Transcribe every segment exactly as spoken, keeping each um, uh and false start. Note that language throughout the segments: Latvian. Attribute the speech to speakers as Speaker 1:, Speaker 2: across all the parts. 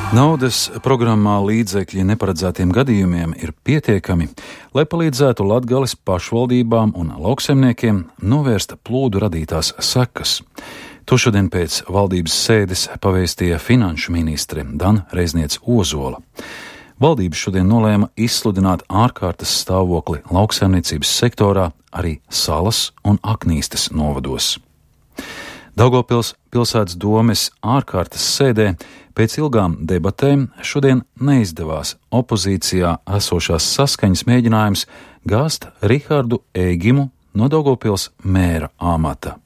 Speaker 1: Naudas programmā līdzekļi neparedzētiem gadījumiem ir pietiekami, lai palīdzētu Latgales pašvaldībām un lauksaimniekiem novērst plūdu radītās sekas. To šodien pēc valdības sēdes pavēstīja finanšu ministre Dana Reizniece-Ozola. Valdība šodien nolēma izsludināt ārkārtas stāvokli lauksaimniecības sektorā arī Salas un Aknīstes novados. Daugavpils pilsētas domes ārkārtas sēdē pēc ilgām debatēm šodien neizdevās opozīcijā esošās saskaņas mēģinājums gāzt Rihardu Ēgimu no Daugavpils mēra amata.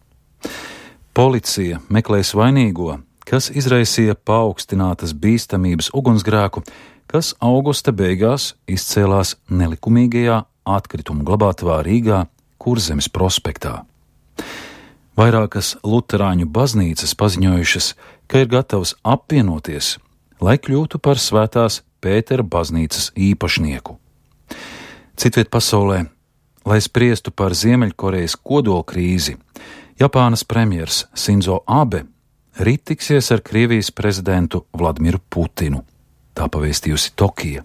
Speaker 1: Policija meklēs vainīgo, kas izraisīja paaugstinātas bīstamības ugunsgrēku, kas augusta beigās izcēlās nelikumīgajā atkritumu glabātavā Rīgā Kurzemes prospektā. Vairākas luterāņu baznīcas paziņojušas, ka ir gatavas apvienoties, lai kļūtu par Svētās Pētera baznīcas īpašnieku. Citviet pasaulē, lai spriestu par Ziemeļkorejas kodolkrīzi, Japānas premjers Sinzo Abe rīt tiksies ar Krievijas prezidentu Vladimiru Putinu, tā pavēstījusi Tokija.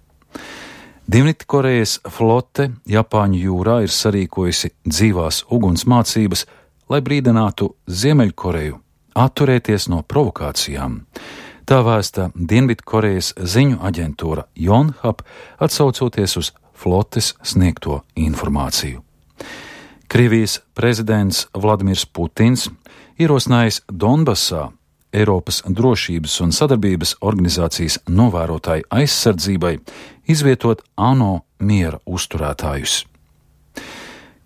Speaker 1: Dienvidkorejas flote Japāņu jūrā ir sarīkojusi dzīvās uguns mācības, lai brīdinātu Ziemeļkoreju atturēties no provokācijām. Tā vēsta Dienvidkorejas ziņu aģentūra Yonhap, atsaucoties uz flotes sniegto informāciju. Krievijas prezidents Vladimirs Putins ierosinājis Donbasā Eiropas drošības un sadarbības organizācijas novērotāju aizsardzībai izvietot ANO miera uzturētājus.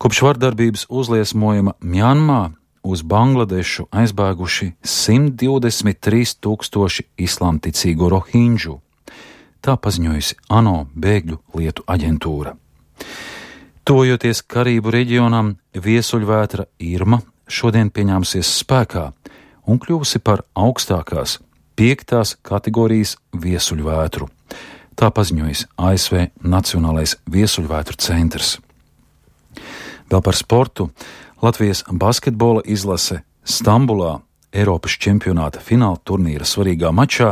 Speaker 1: Kopš vardarbības uzliesmojuma Mjanmā uz Bangladešu aizbēguši simt divdesmit trīs tūkstoši islāmticīgo rohinģu, tā paziņojusi ANO bēgļu lietu aģentūra. Tuvojoties Karību reģionam, viesuļvētra Irma šodien pieņēmusies spēkā un kļuvusi par augstākās piektās kategorijas viesuļvētru, tā paziņojis A S V Nacionālais viesuļvētru centrs. Vēl par sportu. Latvijas basketbola izlase Stambulā Eiropas čempionāta fināla turnīra svarīgā mačā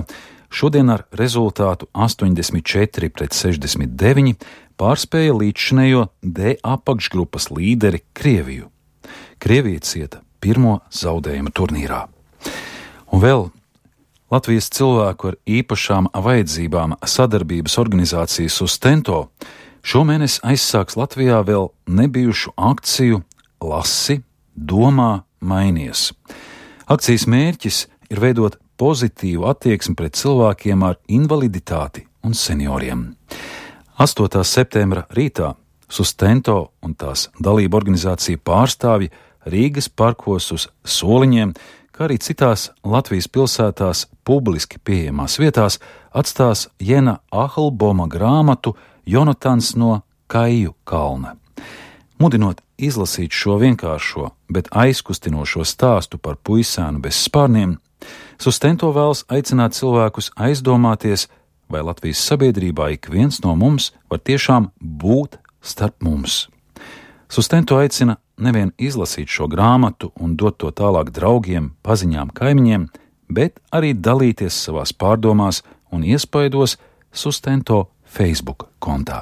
Speaker 1: šodien ar rezultātu astoņdesmit četri pret sešdesmit deviņi pārspēja līdzšinējo D apakšgrupas līderi Krieviju. Krievija cieta pirmo zaudējumu turnīrā. Un vēl Latvijas cilvēku ar īpašām vajadzībām sadarbības organizācija Sustento šomēnes aizsāks Latvijā vēl nebijušu akciju Lasi, domā, mainies. Akcijas mērķis ir veidot pozitīvu attieksmi pret cilvēkiem ar invaliditāti un senioriem. astotā septembra rītā Sustento un tās dalību organizācija pārstāvji Rīgas parkos uz soliņiem, kā arī citās Latvijas pilsētās publiski pieejamās vietās atstās Jena Ahlboma grāmatu Jonatans no Kaiju kalna. Mudinot izlasīt šo vienkāršo, bet aizkustinošo stāstu par puisēnu bez spārniem, Sustento vēlas aicināt cilvēkus aizdomāties, vai Latvijas sabiedrībā ik viens no mums var tiešām būt starp mums. Sustento aicina nevien izlasīt šo grāmatu un dot to tālāk draugiem, paziņām, kaimiņiem, bet arī dalīties savās pārdomās un iespaidos Sustento Facebook kontā.